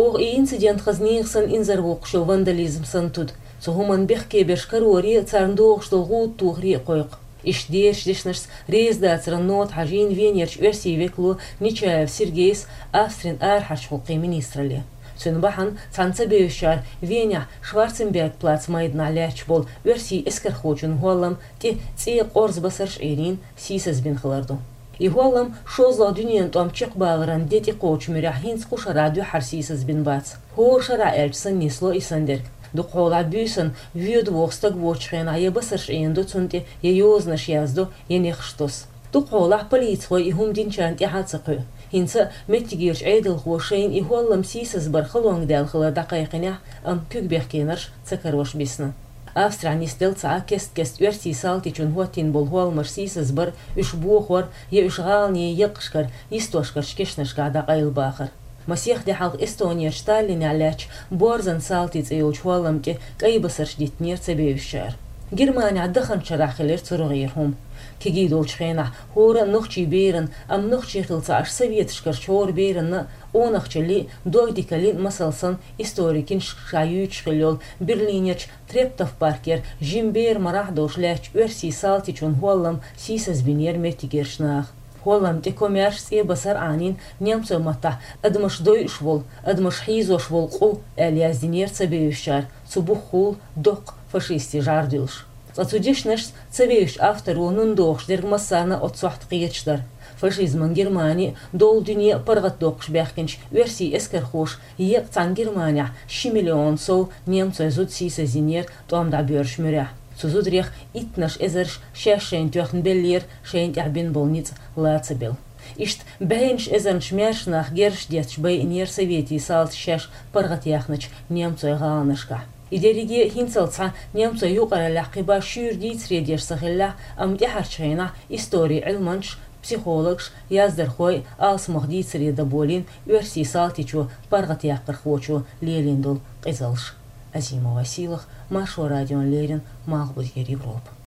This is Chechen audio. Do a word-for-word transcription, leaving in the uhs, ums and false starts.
Оха и инцидент хаза нехан санна инзарвоккхуш йолу вандализм санна туду. Цу хӀуманна бехке берш кароре а, царна догӀуш долу гӀуда тохаре а кхойкху. Иштта дерачу дешнашца реза дацаран нота хьажийна Венерчу оьрсийн векало Нечаев Сергейс Австрин арахьарчу гӀуллакхийн министралле. Цуьнан бахьана цхьана ца бевзачара Венехь Шварценберг-плац майданахь лаьтташ болу оьрсийн эскархочун хӀоллам тӀе цӀе къорза басарш а Ӏийрина, сийсаз бина хилар ду. И хӀоллам шозлагӀа дуьненан тӀом чекхбаларан де тӀекхочу муьрехь хӀинца кху шарахь дуьххьара сийсаз бина бац. ХӀора шарахь аьлча санна нисло и санна дерг. Дукхахьолахь буьйсанна воьду воху стаг воцучу хенахь я басарш Ӏийна до цунна тӀе, я йозанаш яздо, я нехаш тосу. Дукхахьолахь полицихой и хӀума динчарна тӀаьхьа а ца кхуьу. ХӀинца а меттигерчу Ӏедалхо шайна и хӀоллам сийсаз бар халонга даьлла хилар дӀакхайкхинехь а, амма куьг бехкенарш ца карош бисна. Австрехь нисделла цхьа а кест-кеста оьрсийн салтичунна хӀоттийна болу хӀолламаш сийсаз бар, уьш бохор я уьш гӀаланийн екъашкара, йистошкарчу кешнашкахь дӀакъайлабахар. Масех де хьалха Эстонерчу Таллинехь лаьттачу «Борзан салти» цӀе йолчу хӀоллам тӀе кӀай басарш диттинера ца бевзачара. Германехь даханчу шарахь хилира цу рогӀера хӀума. Кегий долчу хенахь хӀора а нохчийн беран, амма нохчий хилла ца Ӏаш, советашкарчу хӀора беранна а, къонахчаллин а, догдикаллин а масал санна, историн киншкашкахь юьйцуш хилла йолу Берлинерчу Трептов-паркера жима бер марахь а долуш лаьттачу оьрсийн салтичун хӀоллам сийсаз бинера меттигерчу наха. ХӀоллам тӀе комаьрша цӀе басар Ӏанийна немцойн маттахь «адамаш дойуш волу, адамаш хьийзош волу къу» аьлла яздинера ца бевзачара, цу бухахула доккха фашистийн жӀар дуьллуш. Ткъа цу дешнашца ца вевзачу авторо нуна дохуш дерг массарна а оццу сохьта кхеташ дара. Фашизман Германи а, долу дуьне а паргӀатдоккхуш баьхкинчу оьрсийн эскархоша еккъа цхьана Германехь ши миллион сов немцойн зуда сийсаз йинера тӀом дӀабоьрзучу муьрехь. Цу зударех иттанаш эзарш шаьш шайна тоьхна беллера шайна тӀехь бина болу ницкъ ла ца белла. Иштта бӀеннаш эзарнаш маьрша нах герзаш детташ байинера советийн салташа шаьш паргӀатъяьхначу немцойн гӀаланашкахь. И дерриге а хӀинццалц схьа немцойн юкъараллехь кхин башха шуьйра дийцаре деш ца хиллехь, амма тӀаьхьарчу хенахь историн Ӏилманчаш, психологаш, яздархой а алсамох дийцаре дан болийна оьрсийн салтичо паргӀатъяккхархочо лелийна долу къизаллаш. Азимова Сийлаха, Маршо радиона леррина, Малхбузера Европа.